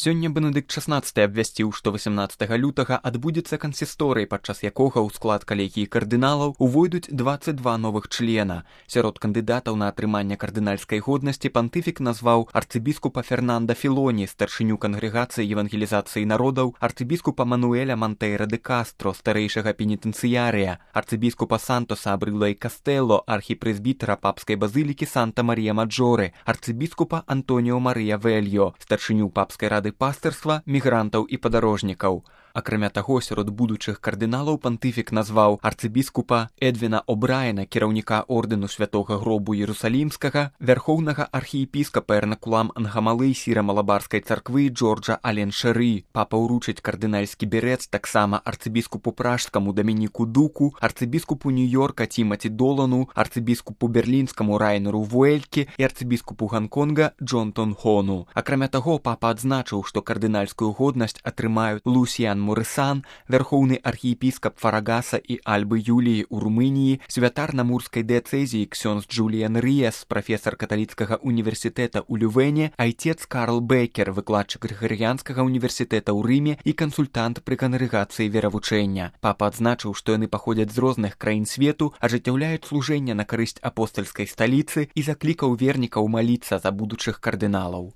Сёння Бенедыкт XVI абвясціў, што 18 лютага адбудзецца кансісторый, падчас якога ў склад калегіі кардыналаў увойдуць 22 новых члена. Сярод кандыдатаў на атрыманне кардынальскай годнасці пантыфік назваў арцыбіскупа Фернанда Філоні, старшыню кангрэгацыі евангелізацыі народаў, арцыбіскупа Мануэля Монтейра де Кастро, старэйшага пенітэнцыярыя, арцыбіскупа Сантоса Абрыла і Кастэлло, архіпрэзбітара папскай базылікі Санта-Марія Маджоры, арцыбіскупа Антоніо Марыя Вельё, старшыню папскай рады пастырства, мігрантаў і падарожнікаў. Акрамя таго, сярод будучых кардыналаў пантыфік назваў арцыбіскупа Эдвіна О'Брайена, кіраўніка ордэну святога гробу Іерусалімскага, вярхоўнага архіепіскапа Эрнакулам Ангамалы сіра-малабарскай царквы Джорджа Ален-Шэры. Папа ўручыць кардынальскі берец таксама арцыбіскупу пражскаму Дамініку Дуку, арцыбіскупу Нью-Йорка Тімаці Долану, арцыбіскупу берлінскаму Райнеру Вуэльке і арцыбіскупу Ганконга Джонтон Хону. Акрамя таго, папа адзначыў, што кардынальскую годнасць атрымаюць Лусіян Мурысан, вярхоўны архіепіскап Фарагаса і Альбы Юліі ў Румыніі, святар на Мурскай дыяцэзіі ксёндз Джуліян Рыяс, прафесар каталіцкага універсітэта ў Лювене, айцец Карл Бекер, выкладчык Грыгарыянскага універсітэта ў Рыме і кансультант пры кангрэгацыі веравучэння. Папа адзначыў, што яны паходзяць з розных краін свету, ажыццяўляюць служэнне на карысць апостальскай сталіцы і заклікаў вернікаў маліцца за будучых кардыналаў.